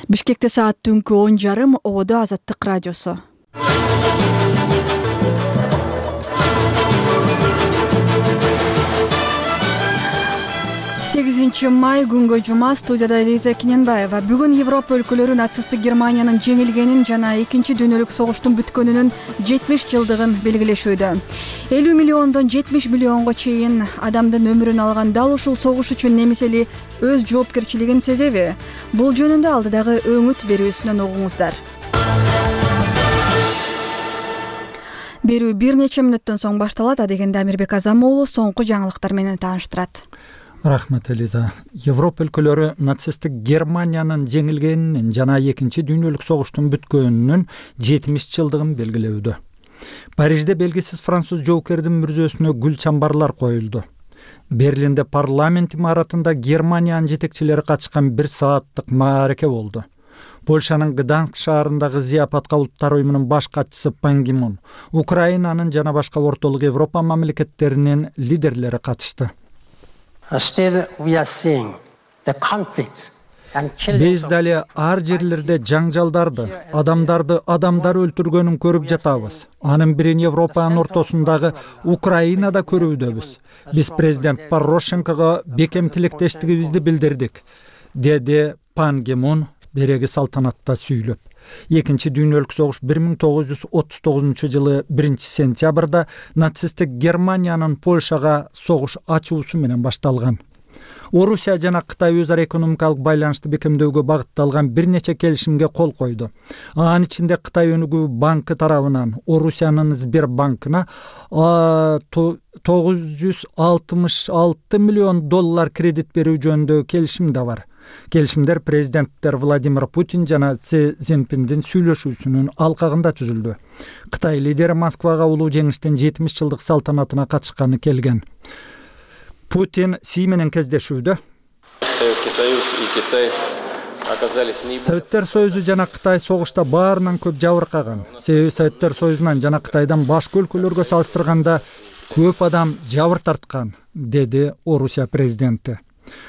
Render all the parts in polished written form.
Бишкекте саат түнкү 10:30 ободо Азаттык радиосу. 8 май күнгө жума. Студияда Элиза Киненбаева. Бүгүн Европа өлкөлөрү нацисттик Германиянын жеңилгенин жана Экинчи дүйнөлүк согуштун бүткөнүнүн 70 жылдыгын белгилешүүдө. 50 миллиондон 70 миллионго чейин адамдын өмүрүн алган дал ушул согуш үчүн немис эли өз жоопкерчилигин сезеби? Бул жөнүндө алдыдагы өңүт берүүсүнөн угуңуздар. Берүү бир нече мүнөттөн соң башталат. Адегенде Амирбек Азам уулу соңку жаңылыктар менен тааныштырат. Рахмат, Элиза. Европа өлкөлөрү нацисттик Германиянын жеңилгенин жана Экинчи дүйнөлүк согуштун бүткөнүнүн 70 жылдыгын белгилөөдө. Парижде белгисиз француз жоокердин мүрзөсүнө гүл чамбарлар коюлду. Берлинде парламент имаратында Германиянын жетекчилери катышкан 1 сааттык маареке болду. Польшанын Гданск шаарындагы зыяпатка улуттар уюмунун баш катчысы Пан Ги Мун, Украинанын жана башка ортолук Европа мамлекеттеринин лидерлери катышты. Биз дали ар жерлерде жаңжалдарды, адамдар өлтүргөнүн көрүп жатабыз. Анын бирин Европанын ортосундагы Украинада көрүүдөбүз. Биз президент Порошенкого бекем тилектештигибизди билдирдик, деди Пан Ги Мун береги салтанатта сүйлөп. Экинчи дүйнөлүк согуш 1939 жылы 1 сентябрда нацисттик Германиянын Польшага согуш ачуусу менен башталган. Орусия жана Кытай өз ара экономикалык байланышты бекемдөөгө багытталган бир нече келишимге кол койду. Анын ичинде Кытай өнүгүү банкы тарабынан Орусиянын Сбербанкына $966 миллион кредит берүү жөнүндө келишим да бар. Келишимдер президенттер Владимир Путин жана Си Цзиньпиндин сүйлөшүүсүнүн алкагында түзүлдү. Кытай лидери Москвага улуу жеңиштин 70 жылдык салтанатына катышканы келген. Путин Си менен кездешүүдө Советтер Союзу жана Кытай согушта баарынан көп жабыркаган. Себеби Советтер Союзунан жана Кытайдан башка өлкөлөргө салыштырганда көп адам жабыр тарткан, деди Орусия президенти.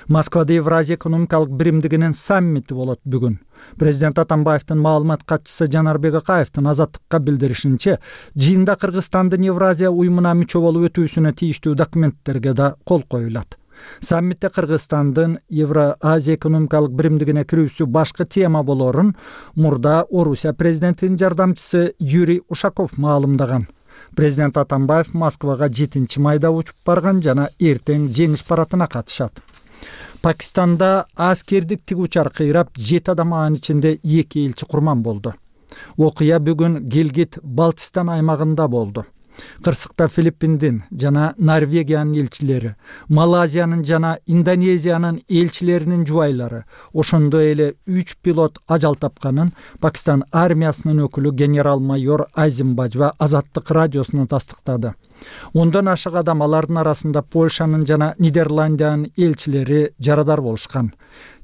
Москвада Евразия экономикалык биримдигинин саммити болот бүгүн. Президент Атамбаевдин маалымат катчысы Жанарбек Акаевдин Азаттыкка билдиришинче, жыйында Кыргызстандын Евразия уюмуна мүчө болуп өтүүсүнө тийиштүү документтерге да кол коюлат. Саммитте Кыргызстандын Евразия экономикалык биримдигине кирүүсү башкы тема болорун мурда Орусия президентинин жардамчысы Юрий Ушаков маалымдаган. Президент Атамбаев Москвага 7 майда учуп барган жана эртең жеңиш парадына катышат. Пакистанда аскердик тигучар кыйрап 7 адам, анын ичинде 2 элчи курман болду. Окуя бүгүн Гилгит Балтистан аймагында болду. Кырсыкта Филиппиндин жана Норвегиянын элчилери, Малайзиянын жана Индонезиянын элчилеринин жубайлары, ошондой эле 3 пилот ажал тапканын Пакистан армиясынын өкүлү генерал-майор Азим Бажва Азаттык радиосуна тастыктады. Ондон ашык адам, алардын арасында Польшанын жана Нидерландиянын элчилери жарадар болушкан.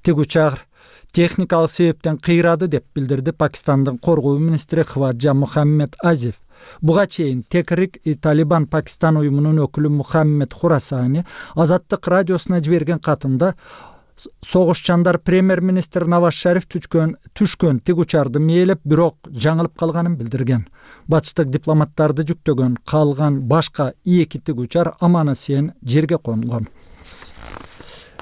Тигучар техникалык себептен кыйрады деп билдирди Пакистандын коргоо министри Хваджа Мухаммед Азиф. Буга чейин Текрик Талибан Пакистан уюмунун өкүлү Мухаммед Хурасани Азаттык радиосуна жиберген катында согушчандар премьер-министр Наваз Шариф түшкөн тигучарды мээлеп, бирок жаңылып калганын билдирген. Батыштык дипломаттарды жүктөгөн калган башка 2 тигучар аман-эсен жерге конгон.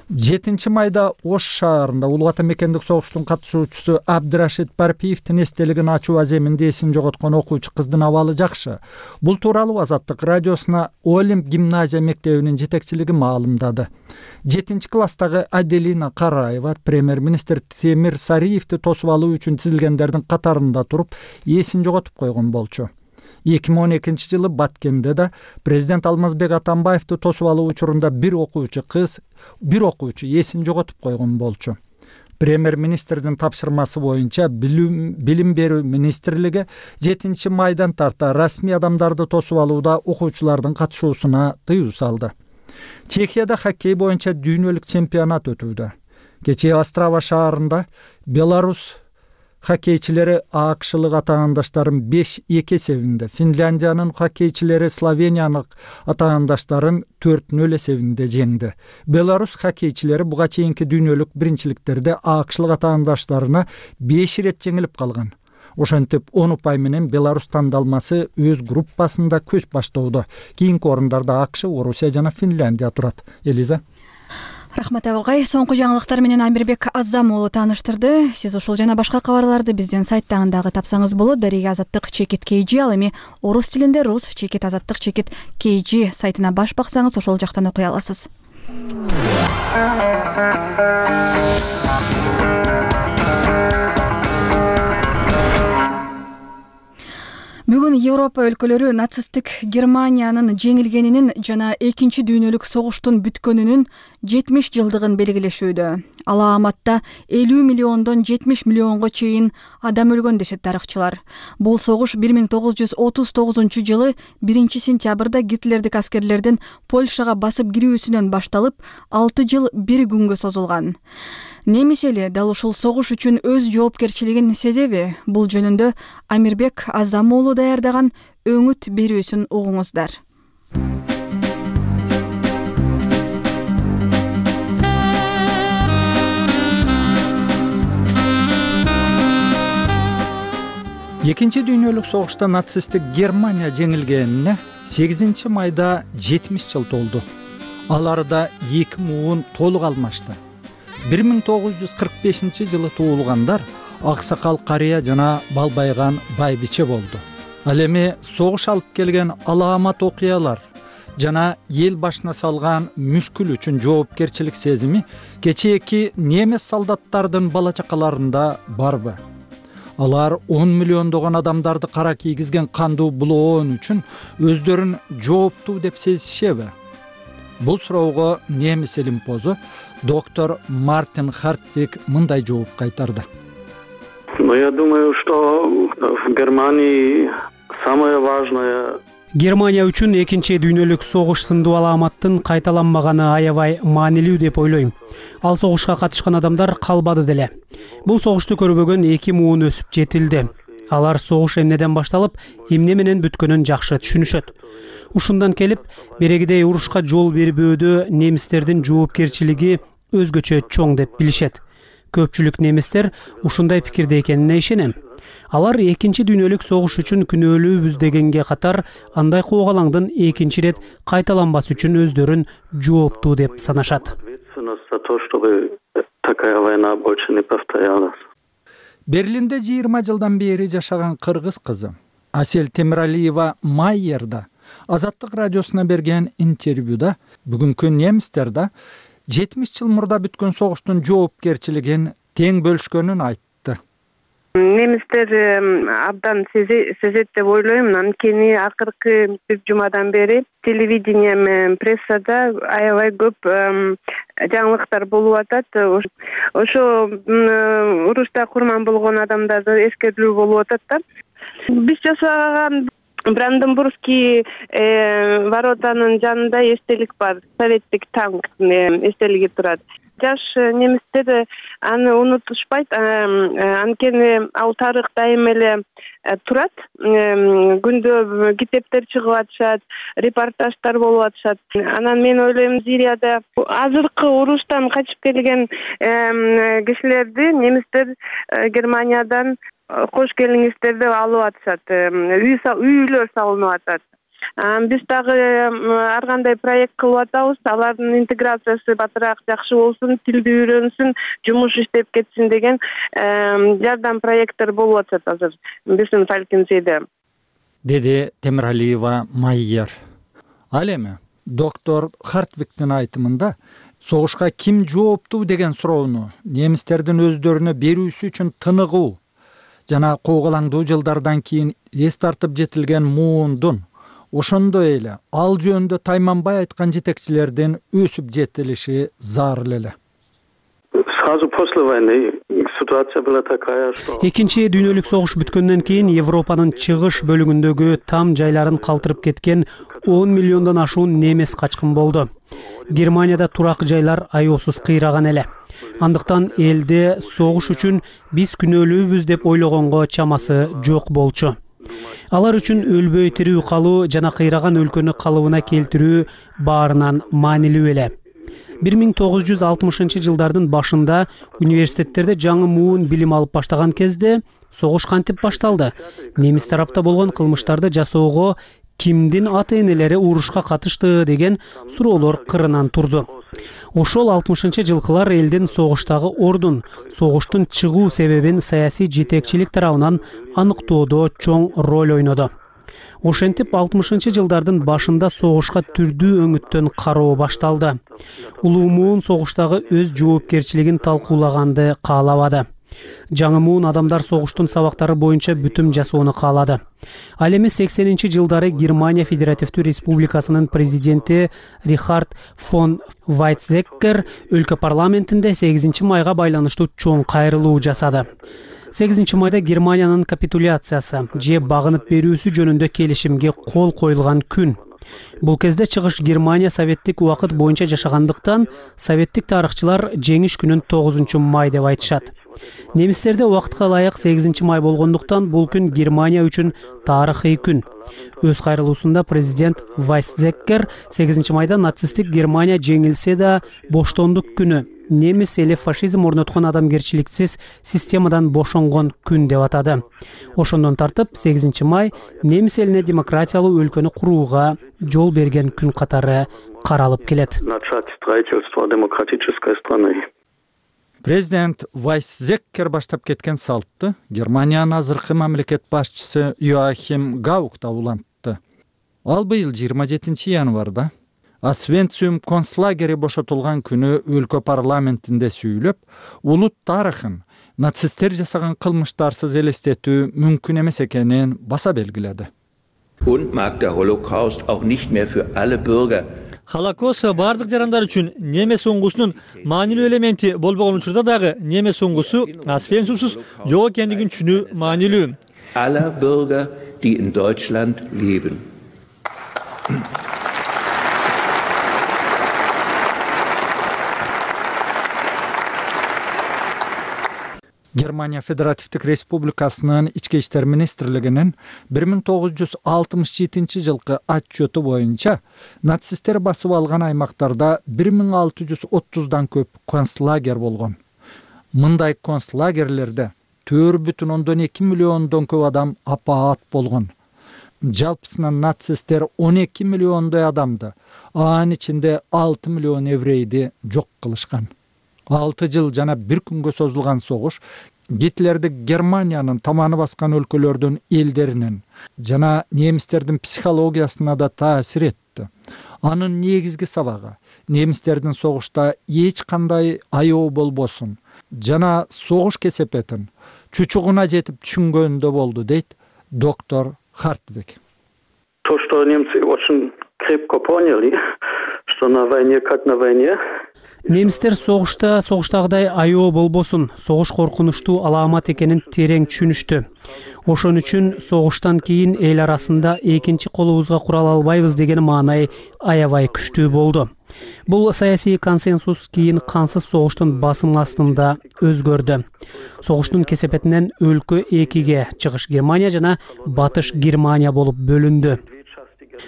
7 майда Ош шаарында Улуу Ата мекендик согуштун катышуучусу Абдырашид Парпиевдин эстелигин ачуу аземинде эсин жоготкон окуучу кыздын абалы жакшы. Бул тууралуу Азаттык радиосуна Олимп гимназия мектебинин жетекчилиги маалымдады. 7 класстагы Аделина Караева премьер-министр Темир Сариевди тосуп алуу үчүн тизилгендердин катарында туруп эсин жоготуп койгон болчу. 2012 жылы Баткенде да президент Алмазбек Атамбаевди тосуп алуу учурунда бир окуучу эсин жоготуп койгон болчу. Премьер-министрдин тапшырмасы боюнча билим берүү министрлиги 7 майдан тарта расмий адамдарды тосуп алууда окуучулардын катышуусуна тыюу салды. Чехияда хоккей боюнча дүйнөлүк чемпионат өтүүдө. Кечээ Острава шаарында Беларусь хоккейчилери АКШлык атаандаштарын 5-2 эсебинде, Финляндиянын хоккейчилери Словениянын атаандаштарын 4-0 эсебинде жеңди. Беларус хоккейчилери буга чейинки дүйнөлүк биринчиликтерде АКШлык атаандаштарына 5 ирет жеңилип калган. Ошентип 10 упай менен Беларус тандалмасы өз группасында көч баштоодо. Кийинки орундарда АКШ, Орусия жана Финляндия турат. Элиза. Рахмат агай. Соңку жаңылыктар менен Амирбек Азам уулу тааныштырды. Сиз ушул жана башка кабарларды биздин сайттан дагы тапсаңыз болот. Дарига Азаттык чекит KG, ал эми орус тилинде рус чекит азаттык чекит KG сайтына баш баксаңыз ошол жактан окуй аласыз. Бүгүн Европа өлкөлөрү нацисттик Германиянын жеңилгенинин жана Экинчи дүйнөлүк согуштун бүткөнүнүн 70 жылдыгын белгилешүүдө. Алааматта 50 миллиондон 70 миллионго чейин адам өлгөн дешет тарыхчылар. Бул согуш 1939 жылы 1-сентябрда Гитлердик аскерлердин Польшага басып кирүүсүнөн башталып, 6 жыл 1 күнгө созулган. Немис эли дал ушул согуш үчүн өз жоопкерчилигин сезеби? Бул жөнүндө Амирбек Азам уулу даярдаган өңүт берүүсүн угуңуздар. Экинчи дүйнөлүк согушта нацисттик Германия жеңилгенине 8 майда 70 жыл толду. Ал арада 2 муун толук алмашты. 1945 жылы туулгандар аксакал карыя жана балбайган байбиче болду. Ал эми согуш алып келген алаамат окуялар жана эл башына салган мүшкүл үчүн жоопкерчилик сезими кечээки немис солдаттардын бала чакаларында барбы? Алар 10 миллиондогон адамдарды кара кийгизген кандуу булоон үчүн өздөрүн жооптуу деп сезишеби? Бул суроого немис илимпозу доктор Мартин Хартвик мындай жооп кайтарды. Я думаю, что в Германии самое важное. Германия үчүн Экинчи дүйнөлүк согуш сындуу алааматтын кайталанмаганы аябай маанилүү деп ойлойм. Ал согушка катышкан адамдар калбады деле. Бул согушту көрбөгөн 2 муун өсүп жетилди. Алар согуш эмнеден башталып, эмне менен бүткөнүн жакшы түшүнүшөт. Ушундан келип, берегидей урушка жол бербөөдө немистердин жоопкерчилиги өзгөчө чоң деп билишет. Көпчүлүк немистер ушундай пикирде экенине ишенем. Алар Экинчи дүйнөлүк согуш үчүн күнөөлүүбүз дегенге катар, андай куугалаңдын экинчи ирет кайталанбас үчүн өздөрүн жооптуу деп санашат. Берлинде 20 жылдан бери жашаган кыргыз кызы Асель Темиралиева Майерда Азаттык радиосуна берген интервьюда бүгүнкү немистер да 70 жыл мурда бүткөн согуштун жоопкерчилигин тең бөлүшкөнүн айтты. Немистер абдан сезет деп ойлойм. Анткени акыркы бир жумадан бери телевидение менен прессада аябай көп жаңылыктар болуп атат. Ошо урушта курман болгон адамдарды эскертүү болуп атат да. Биз жасаган Бранденбургский воротанын жанында эстелик бар. Советтик танк эстелиги турат. Жаш немистер аны унутушпайт. Анткени ал тарых дайым эле турат. Күндө китептер чыгып атышат, репортаждар болуп атышат. Анан мен ойлойм, Сирияда азыркы уруштан качып келген кишилерди немистер Германиядан кош келиңиздер деп алып атышат. Үйлөр салынып атат. Биз дагы ар кандай проект кылып атабыз. Алардын интеграциясы батыраак жакшы болсун, тилди үйрөнсүн, жумуш иштеп кетсин деген жардам проекттер болуп атат азыр биздин Фалькенсейде. Деди Темиралиева Майер. Ал эми доктор Хартвиктин айтымында согушка ким жооптуу деген суроону немистердин өздөрүнө берүүсү үчүн тыныгуу жана куугалаңдуу жылдардан кийин эс тартып жетилген муундун, ошондой эле ал жөнүндө тайманбай айткан жетекчилердин өсүп жетилиши зарыл эле. Сразу после войны Ситуация была такая, что Экинчи дүйнөлүк согуш бүткөндөн кийин Европанын чыгыш бөлүгүндөгү там жайларын калтырып кеткен 10 миллиондон ашуун немес качкын болду. Германияда турак жайлар аеосуз кыйраган эле. Андыктан элде согуш үчүн биз күнөөлүүбүз деп ойлогонго чамасы жок болчу. Алар үчүн өлбөй тирүү калуу жана кыйраган өлкөнү калыбына келтирүү баарынан маанилүү эле. 1960 жылдардын башында университеттерде жаңы муун билим алып баштаган кезде согуш кантип башталды? Немис тарапта болгон кылмыштарды жасоого кимдин ата-энелери урушка катышты деген суроолор кырынан турду. Ошол 60-жылкылар элдин согуштагы ордун, согуштун чыгуу себебин саясий жетекчилик тарабынан аныктоодо чоң роль ойнодо. Ошентип 60-жылдардын башында согушка түрдүү өңүттөн кароо башталды. Улуу муун согуштагы өз жоопкерчилигин талкуулаганды каалабады. Жаңы муун адамдар согуштун сабактары боюнча бүтүм жасоону каалады. Ал эми 80-жылдары Германия Федеративдүү Республикасынын президенти Рихард фон Вайтзеккер өлкө парламентинде 8 майга байланыштуу чоң кайрылуу жасады. 8 майда Германиянын капитуляциясы же багынып берүүсү жөнүндө келишимге кол коюлган күн. Бул кезде чыгыш Германия советтик убакыт боюнча жашагандыктан советтик тарыхчылар жеңиш күнүн 9 май деп айтышат. Немистерде убакытка ылайык 8 май болгондуктан бул күн Германия үчүн тарыхый күн. Өз кайрылуусунда президент Вайтзеккер 8 майда нацисттик Германия жеңилсе да боштондук күнү, немис эли фашизм орноткон адамгерчиликсиз системадан бошонгон күн деп атады. Ошондон тартып 8 май немис элине демократиялуу өлкөнү курууга жол берген күн катары каралып келет. Президент Вайтзеккер баштап кеткен салтты Германиянын азыркы мамлекет башчысы Йоахим Гаук да улантты. Ал быйыл 27 январда Освенцим концлагери бошотулган күнү өлкө парламентинде сүйлөп, улут тарыхын нацисттер жасаган кылмыштарсыз элестетүү мүмкүн эмес экенин баса белгиледи. Und mag der Holocaust auch nicht mehr für alle Bürger Холокост бардык жарандар үчүн немес оңгусунун маанилүү элементи болбогон учурда дагы немес оңгусу Освенцимсиз жок экендигин түшүнүү маанилүү. aller Bürger, die in Deutschland leben. Германия Федеративдик Республикасынын Ички иштер министрлигинин 1967 жылкы отчету боюнча нацисттер басып алган аймактарда 1630дан көп концлагер болгон. Мындай концлагерлерде 4,2 миллиондон көп адам апаат болгон. Жалпысынан нацисттер 12 миллиондой адамды, анын ичинде 6 миллион еврейди жок кылышкан. 6 жыл жана 1 күнгө созулган согуш Гитлерди Германиянын таманы баскан өлкөлөрдүн элдеринин жана немистердин психологиясына да таасир этти. Анын негизги сабагы немистердин согушта эч кандай аябы болбосун жана согуш кесепетин чучугуна жетип түшүнгөндө болду, дейт доктор Хартвик. То, что немцы очень крепко поняли, что на войне как на войне. Немистер согуштагыдай аябы болбосун, согуш коркунучтуу аламат экенин терең түшүнүштү. Ошон үчүн согуштан кийин эл арасында экинчи колубузга курал албайбыз деген маанай аябай күчтүү болду. Бул саясий консенсус кийин кансыз согуштун басым астында өзгөрдү. Согуштун кесепетинен өлкө экиге, чыгыш Германия жана батыш Германия болуп бөлүндү.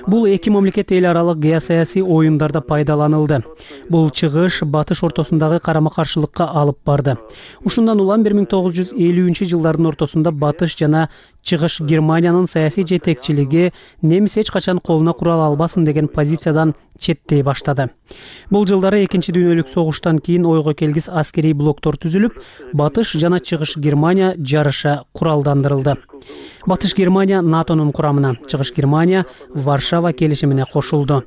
Бул эки мамлекет эл аралык геосаясий оюндарда пайдаланылды. Бул чыгыш батыш ортосундагы карама-каршылыкка алып барды. Ушундан улам 1950-жылдардын ортосунда батыш жана чыгыш Германиянын саясий жетекчилиги немис эч качан колуна курал албасын деген позициядан четтей баштады. Бул жылдары экинчи дүйнөлүк согуштан кийин ойго келгис аскерий блоктор түзүлүп, батыш жана чыгыш Германия жарыша куралдандырылды. Батыш Германия НАТОнун курамына, чыгыш Германия Варшава келишимине кошулду.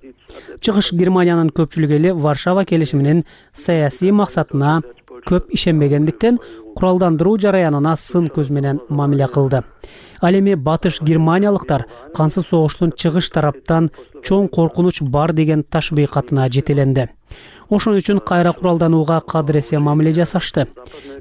Чыгыш Германиянын көпчүлүгү эле Варшава келишиминин саясий максатына көп ишенбегендиктен куралдандыруу жараянына сын көз менен мамиле кылды. Ал эми батыш германиялыктар кансыз согуштун чыгыш тараптан чоң коркунуч бар деген ташбыйкатына жетеленди. Ошон үчүн кайра куралданууга кадыресе мамиле жасашты.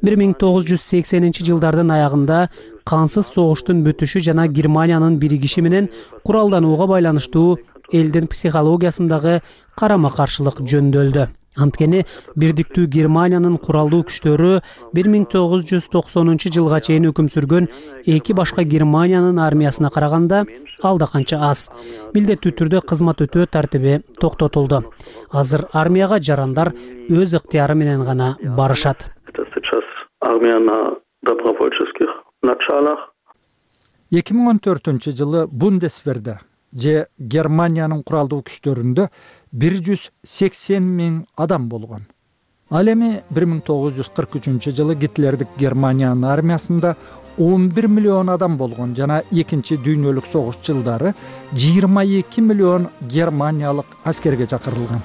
1980-жылдардын аягында кансыз согуштун бүтүшү жана Германиянын биригиши менен куралданууга байланыштуу элдин психологиясындагы карама-каршылык жөндөлдү. Анткени бирдиктүү Германиянын куралдуу күчтөрү 1990-жылга чейин өкүм сүргөн эки башка Германиянын армиясына караганда алда канча аз. Милдеттүү түрдө кызмат өтөө тартиби токтотулду. Азыр армияга жарандар өз ыктыяры менен гана барышат. 2014-жылы Бундесверде же Германиянын куралдуу күчтөрүндө 180 000 адам болгон. Ал эми 1943-жылы Гитлердик Германиянын армиясында 11 миллион адам болгон жана Экинчи дүйнөлүк согуш жылдары 22 миллион германиялык аскерге чакырылган.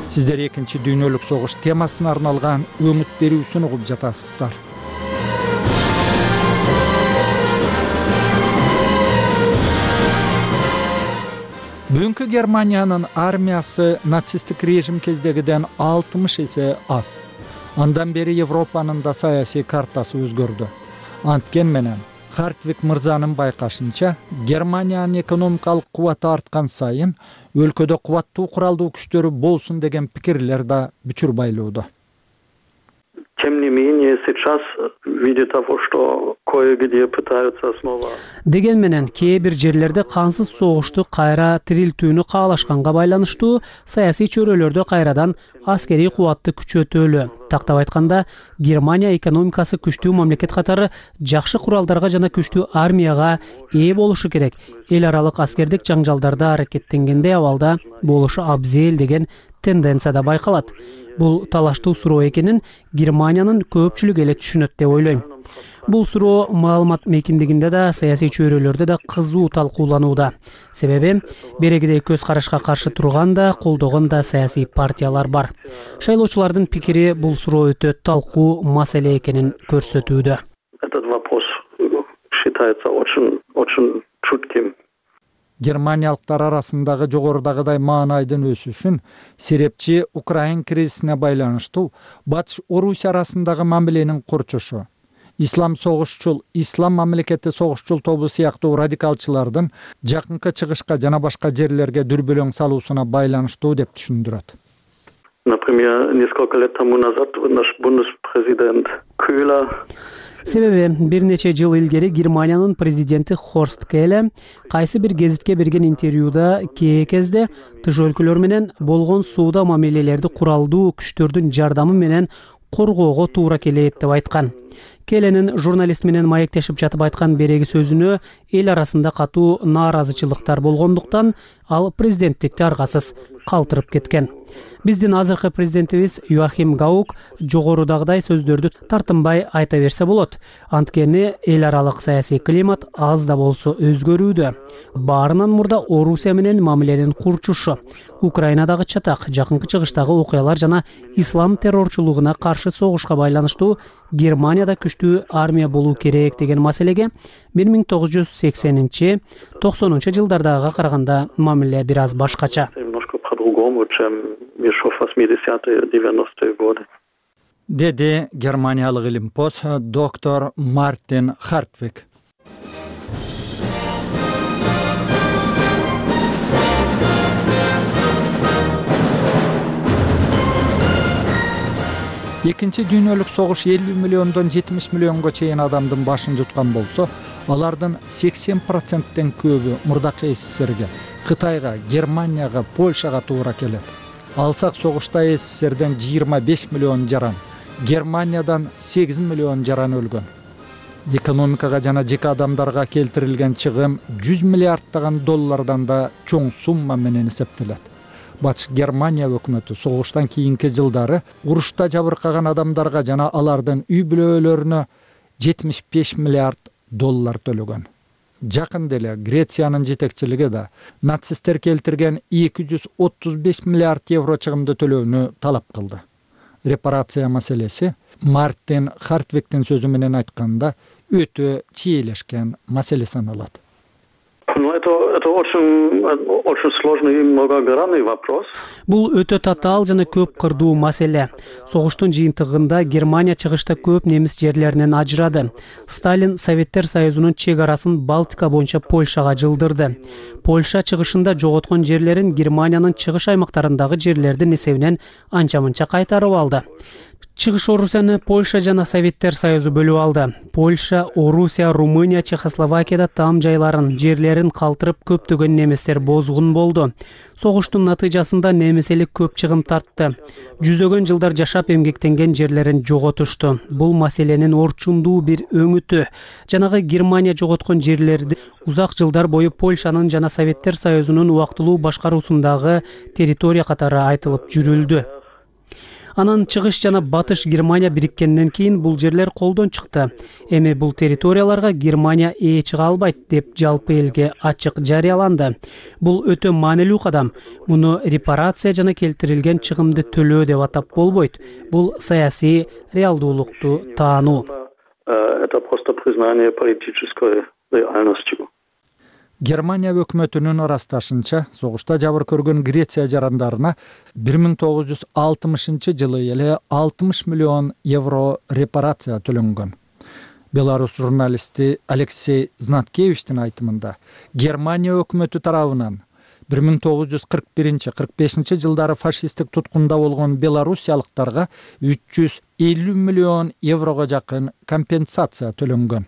Сиздер Экинчи дүйнөлүк согуш темасына арналган өңүт берүүсүн угуп жатасыздар. Бүгүнкү Германиянын армиясы нацисттик режим кездегиден 60 эсе аз. Андан бери Европанын да саясий картасы өзгөрдү. Анткен менен Хартвик мырзанын байкашынча, Германиянын экономикалык кубаты арткан сайын өлкөдө кубаттуу куралдуу күчтөрү болсун деген пикирлер да бүчүр байлоодо. Тем не менее, сейчас, видя того, что кое-где пытаются снова... Деген менен кээ бир жерлерде кансыз согушту кайра тирилтүүнү каалашканга байланыштуу саясий чөйрөлөрдө кайрадан аскерий кубатты күчөтөлү. Тактап айтканда, Германия экономикасы күчтүү мамлекет катары жакшы куралдарга жана күчтүү армияга ээ болушу керек. Эл аралык аскердик жаңжалдарда аракеттенгенде абалда болушу абзел деген тенденция да байкалат. Бул талаштуу суроо экенин Германиянын көпчүлүгү эле түшүнөт деп ойлойм. Бул суроо маалымат мейкиндигинде да, саясий чөйрөлөрдө да кызуу талкууланууда. Себеби берегидей көз карашка каршы турган да, колдогон да саясий партиялар бар. Шайлоочулардын пикири бул суроо өтө талкуу маселе экенин көрсөтүүдө. Этот вопрос считается очень чутким. Германиялыктар арасындагы жогорудагыдай маанайдын өсүшүн серепчи Украин кризисине байланыштуу Батыш Орусия арасындагы мамиленин курчушу, ислам согушчул, ислам мамлекети согушчул тобу сыяктуу радикалчылардын жакынкы чыгышка жана башка жерлерге дүрбөлөң салуусуна байланыштуу деп түшүндүрөт. Например, несколько лет тому назад наш бунспрезидент Köhler Себеби бир нече жыл илгери Германиянын президенти Хорст Келе кайсы бир гезитке берген интервьюда кээ кезде тыш өлкөлөр менен болгон сууда мамилелерди куралдуу күчтөрдүн жардамы менен коргоого туура келет деп айткан. Келенин журналист менен маектешип жатып айткан береги сөзүнө эл арасында катуу нааразычылыктар болгондуктан ал президенттикти аргасыз калтырып кеткен. Биздин азыркы президентибиз Йоахим Гаук жогорудагыдай сөздөрдү тартынбай айта берсе болот. Анткени эл аралык саясий климат аз да болсо өзгөрүүдө. Баарынан мурда Орусия менен мамиленин курчушу, Украинадагы чатак, жакынкы чыгыштагы окуялар жана ислам террорчулугуна каршы согушка байланыштуу Германияда күчтүү армия болуу керек деген маселеге 1980-90 жылдардагыга караганда мамиле бир аз башкача. Деди германиялык илимпоз доктор Мартин Хартвик. Экинчи дүйнөлүк согуш 50 миллиондон 70 миллионго чейин адамдын башын жуткан болсо, алардын 80%тен көбү мурдакы СССРге, Кытайга, Германияга, Польшага туура келет. Алсак согушта СССРден 25 миллион жаран, Германиядан 8 миллион жаран өлгөн. Экономикага жана жеке адамдарга келтирилген чыгым 100 миллиарддаган доллардан да чоң сумма менен эсептелет. Батыш Германия өкмөтү согуштан кийинки жылдары урушта жабыркаган адамдарга жана алардын үй бүлөлөрүнө 75 миллиард доллар төлөгөн. Жакында эле Грециянын жетекчилиги да нацисттер келтирген 235 миллиард евро чыгымды төлөөнү талап кылды. Репарация маселеси Мартин Хартвиктин сөзү менен айтканда өтө чийлешкен маселе саналат. Это очень сложный и многогранный вопрос. Бул өтө татаал жана көп кырдуу маселе. Согуштун жыйынтыгында Германия чыгышта көп немис жерлеринен ажырады. Сталин Советтер Союзунун чек арасын Балтика боюнча Польшага жылдырды. Польша чыгышында жоготкон жерлерин Германиянын чыгыш аймактарындагы жерлердин эсебинен анча-мынча кайтарып алды. Чыгыш Орусияны Польша жана Советтер Союзу бөлүп алды. Польша, Орусия, Румыния, Чехословакияда там жайларын, жерлерин калтырып көптөгөн немистер бозгун болду. Согуштун натыйжасында немис эли көп чыгым тартты. Жүздөгөн жылдар жашап эмгектенген жерлерин жоготушту. Бул маселенин орчундуу бир өңүтү. Жанагы Германия жоготкон жерлерди узак жылдар бою Польшанын жана Советтер Союзунун убактылуу башкаруусундагы территория катары айтылып жүрүлдү. Анан чыгыш жана батыш Германия бириккенден кийин бул жерлер колдон чыкты. Эми бул территорияларга Германия ээ чыга албайт деп жалпы элге ачык жарыяланды. Бул өтө маанилүү кадам. Муну репарация жана келтирилген чыгымды төлөө деп атап болбойт. Бул саясий реалдуулукту таануу. Это просто признание политической реальности. Германия өкмөтүнүн ырасташынча, согушта жабыр көргөн Греция жарандарына 1960 жылы эле 60 миллион евро репарация төлөнгөн. Беларус журналисти Алексей Знаткевичтин айтымында, Германия өкмөтү тарабынан 1941-45 жылдары фашисттик туткунда болгон белорусиялыктарга 350 миллион еврого жакын компенсация төлөнгөн.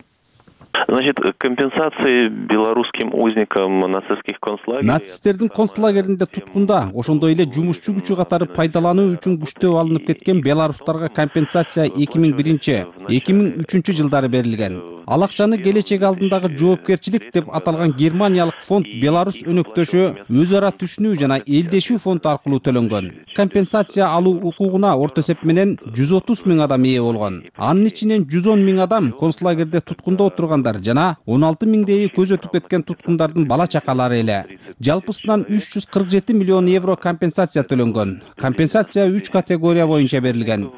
Значит, компенсации белорусским узникам нацистских концлагерей. Нацисттердин концлагеринде туткунда, ошондой эле жумушчу күчү катары пайдалануу үчүн күчтөө алынып кеткен белорустарга компенсация 2001-2003 жылдары берилген. Ал акчаны келечек алдындагы жоопкерчилик деп аталган германиялык фонд Беларусь өнөктөшү өз ара түшүнүү жана элдешүү фонд аркылуу төлөнгөн. Компенсация алуу укугуна орто эсеп менен 130 миң адам ээ болгон. Анын ичинен 110 миң адам концлагерде туткунда отургандар жана 16 миңдейи көз өтүп кеткен туткундардын бала чакалары эле. Жалпысынан 347 миллион евро компенсация төлөнгөн. Компенсация 3 категория боюнча берилген.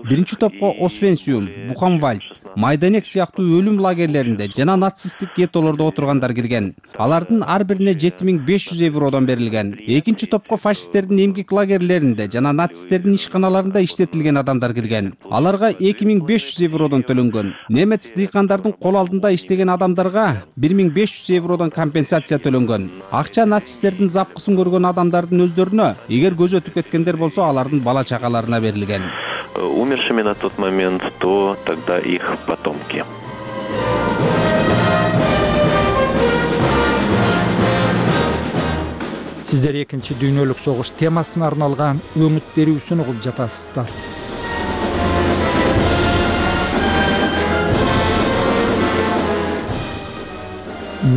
Биринчи топко Освенциум, Бухенвальд, Майданек сыяктуу өлүм лагерлеринде жана нацисттик геттолордо отургандар кирген. Алардын ар бирине 7500 евродон берилген. Экинчи топко фашисттердин эмгек лагерлеринде жана нацисттердин ишканаларында иштетилген адамдар кирген. Аларга 2500 евродон төлөнгөн. Немец дыйкандардын кол алдында иштеген адамдарга 1500 евродон компенсация төлөнгөн. Акча нацисттердин запкысын көргөн адамдардын өздөрүнө, эгер көз өтүп кеткендер болсо, алардын бала чакаларына берилген. Умершими на тот момент, то тогда их потомки. Сиздер экинчи дүйнөлүк согуш темасына арналган өңүт берүүсүн угуп жатасыздар.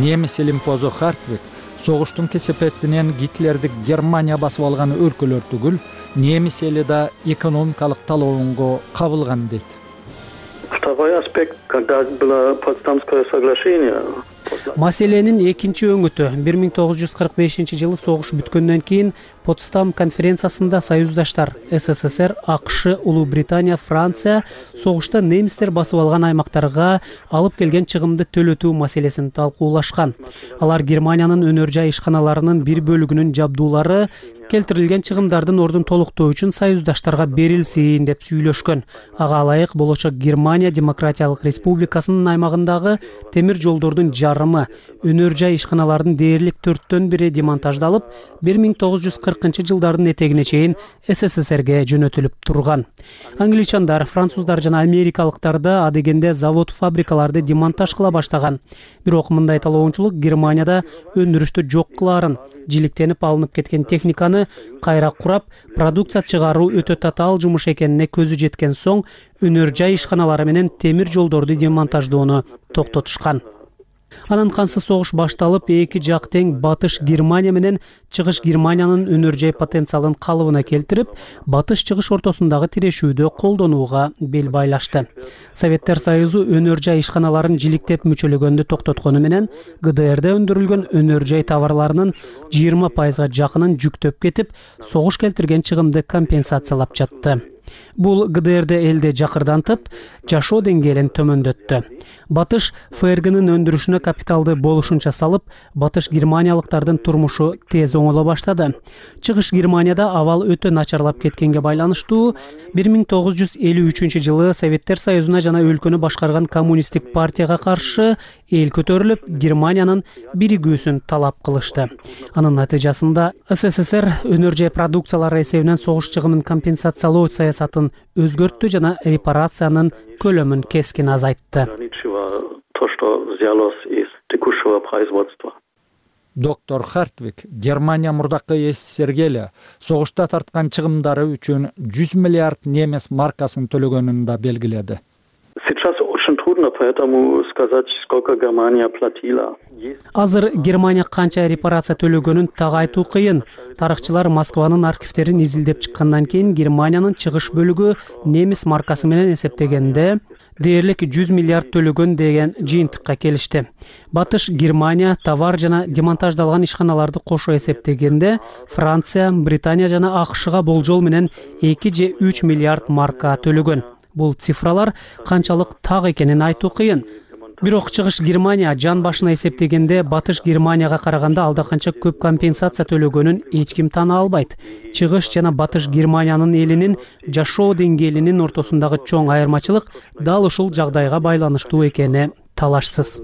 Немис элимпозу Хартвик согуштун кесепетинен Гитлердик Германия басып алган өлкөлөр түгүл, немис эли да экономикалык талоонго кабылган дейт. Второй аспект, когда было Потсдамское соглашение. Маселенин экинчи өңүтү 1945 жылы согуш бүткөндөн кийин Потсдам конференциясында союздаштар СССР, АКШ, Улуу Британия, Франция согушта немистер басып алган аймактарга алып келген чыгымды төлөтүү маселесин талкуулашкан. Алар Германиянын өнөр жай ишканаларынын бир бөлүгүнүн жабдуулары келтирилген чыгымдардын ордун толуктоо үчүн союздаштарга берилсин деп сүйлөшкөн. Ага ылайык болочок Германия Демократиялык Республикасынын аймагындагы темир жолдордун жарымы, өнөр жай ишканалардын дээрлик 4/1 демонтаждалып, 1940 жылдардын этегине чейин СССРге жөнөтүлүп турган. Англичандар, француздар жана америкалыктар да адегенде завод-фабрикаларды демонтаж кыла баштаган. Бирок мындай талоочулук Германияда өндүрүштү жок кылаарын, жиликтенип алынып кеткен техниканы кайра курап, продукция чыгаруу өтө татаал жумуш экенине көзү жеткен соң, өнөр жай ишканалары менен темир жолдорду демонтаждоону токтотушкан. Анан кансыз согуш башталып, эки жак тең батыш Германия менен чыгыш Германиянын өнөр жай потенциалын калыбына келтирип, батыш-чыгыш ортосундагы тирешүүдө колдонууга бел байлашты. Советтер Союзу өнөр жай ишканаларын жиликтеп мүчөлөгөндү токтоткону менен ГДРде өндүрүлгөн өнөр жай товарларынын 20% жакынын жүктөп кетип, согуш келтирген чыгымды компенсациялап жатты. Бул ГДРди элде жакырдантып, жашоо деңгээлин төмөндөттү. Батыш ФРГнын өндүрүшүнө капиталды болушунча салып, батыш германиялыктардын турмушу тез оңоло баштады. Чыгыш Германияда абал өтө начарлап кеткенге байланыштуу 1953-жылы Советтер Союзуна жана өлкөнү башкарган коммунисттик партияга каршы эл көтөрүлүп, Германиянын биригүүсүн талап кылышты. Анын натыйжасында СССР өнөр жай продукциялары эсебинен согуш чыгымын компенсациялоо саясатын өзгөрттү жана репарациянын көлөмүн кескин азайтты. Доктор Хартвик Германия мурдакы СССРге эле согушта тарткан чыгымдары үчүн 100 миллиард немес маркасын төлөгөнүн да белгиледи. Азыр Германия канча репарация төлөгөнүн так айтуу кыйын. Тарыхчылар Москванын архивтерин изилдеп чыккандан кийин Германиянын чыгыш бөлүгү немис маркасы менен эсептегенде дээрлик 100 миллиард төлөгөн деген жыйынтыкка келишти. Батыш Германия товар жана демонтаждалган ишканаларды кошо эсептегенде Франция, Британия жана АКШга болжол менен 2 же 3 миллиард марка төлөгөн. Бул цифралар канчалык так экенин айтуу кыйын. Бирок чыгыш Германия жан башына эсептегенде батыш Германияга караганда алда канча көп компенсация төлөгөнүн эч ким тана албайт. Чыгыш жана батыш Германиянын элинин жашоо деңгээлинин ортосундагы чоң айырмачылык дал ушул жагдайга байланыштуу экени талашсыз.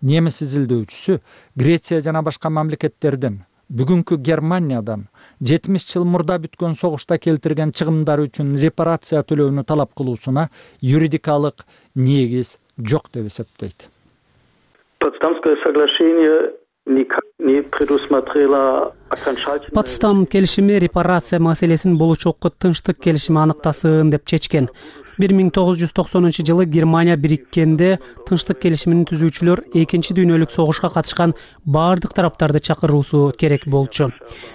Немис изилдөөчүсү Греция жана башка мамлекеттердин бүгүнкү Германиядан 70 жыл мурда бүткөн согушта келтирген чыгымдары үчүн репарация төлөөнү талап кылуусуна юридикалык негиз жок деп эсептейт. Потсдам келишими репарация маселесин болочокко тынчтык келишими аныктасын деп чечкен. 1990-жылы Германия бириккенде тынчтык келишимин түзүүчүлөр экинчи дүйнөлүк согушка катышкан бардык тараптарды чакыруусу керек болчу.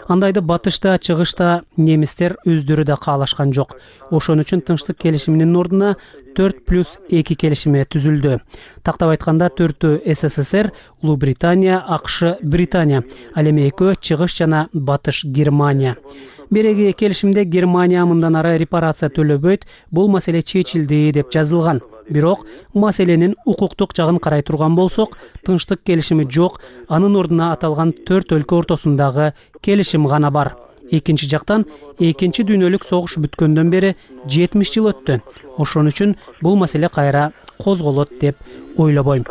Андайды батышта, чыгышта немистер өздөрү да каалашкан жок. Ошон үчүн тынчтык келишиминин ордуна 4+2 келишими түзүлдү. Тактап айтканда 4-ü СССР, Улуу Британия, АКШ, Британия, ал эми 2 чыгыш жана батыш Германия. Береги келишимде Германия мындан ары репарация төлөбөйт, бул маселе чечилди деп жазылган. Бирок маселенин укуктук жагын карай турган болсок, тынчтык келишими жок, анын ордуна аталган 4 өлкө ортосундагы келишим гана бар. Экинчи жактан, экинчи дүйнөлүк согуш бүткөндөн бери 70 жыл өттү. Ошон үчүн бул маселе кайра козголот деп ойлобойм.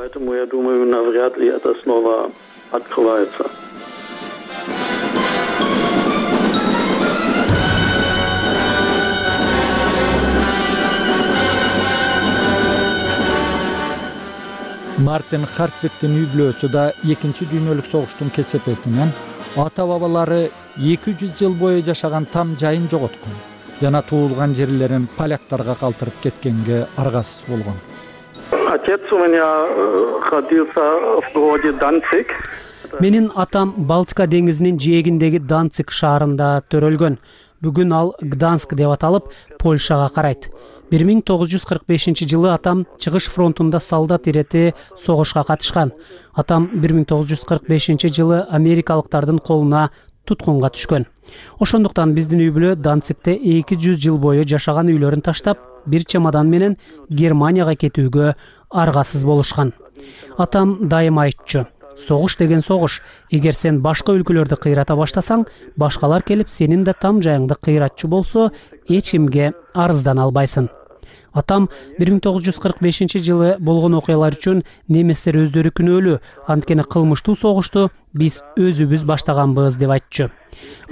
Мартин Хартвиктин үй бүлөсү да экинчи дүйнөлүк согуштун кесепетинен ата бабалары 200 жыл бою жашаган там жайын жоготкон жана туулган жерлерин поляктарга калтырып кеткенге аргасыз болгон. Менин атам Балтика деңизинин жээгиндеги Данциг шаарында төрөлгөн. Бүгүн ал Гданск деп аталып, Польшага карайт. 1945-жылы атам чыгыш фронтунда солдат ирети согушка катышкан. Атам 1945-жылы америкалыктардын колуна туткунга түшкөн. Ошондуктан биздин үй бүлө Данцигте 200 жыл бою жашаган үйлөрүн таштап, бир чемодан менен Германияга кетүүгө аргасыз болушкан. Атам дайыма айтчу: согуш деген согуш. Эгер сен башка өлкөлөрдү кыйрата баштасаң, башкалар келип сенин да там жайыңды кыйратчу болсо, эч кимге арыздана албайсың. Атам 1945-жылы болгон окуялар үчүн немистер өздөрү күнөөлүү, анткени кылмыштуу согушту биз өзүбүз баштаганбыз деп айтчу.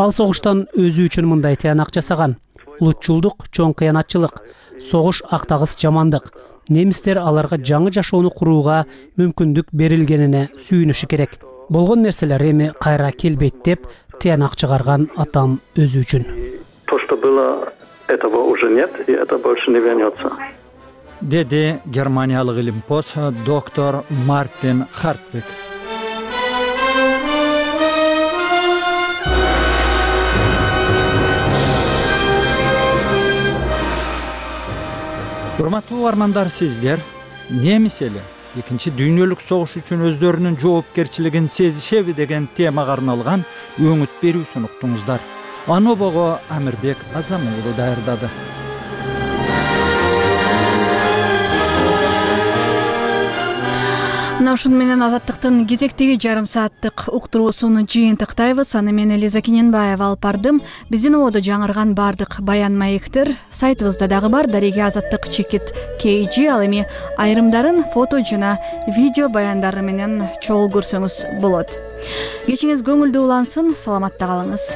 Ал согуштан өзү үчүн мындай тыянак жасаган: улутчулдук чоң кыянатчылык, согуш актагыс жамандык. Немистер аларга жаңы жашоону курууга мүмкүндүк берилгенине сүйүнүшү керек. Болгон нерселер эми кайра келбейт деп тыянак чыгарган атам өзү үчүн. Этого уже нет, и это больше не вернется. Деди германиялык илимпоз доктор Мартин Хартвик. Урматтуу армандар, сиздер немис эли экинчи дүйнөлүк согуш үчүн өздөрүнүн жоопкерчилигин сезишеби деген темага арналган өңүт берүүсүн уктуңуздар. Анобого Амирбек Азам уулу даярдады. Мына ушуну менен Азаттыктын кезектеги жарым сааттык уктуруусун жыйынтыктайбыз. Аны мен Элиза Киненбаева алып бардым. Биздин ободо жаңырган бардык баян маектер сайтыбызда дагы бар. Дареге Азаттык чекит KG. Ал эми айрымдарын фото жана видео баяндары менен чогуу көрсөңүз болот. Кечиңиз көңүлдүү улансын. Саламатта калыңыз.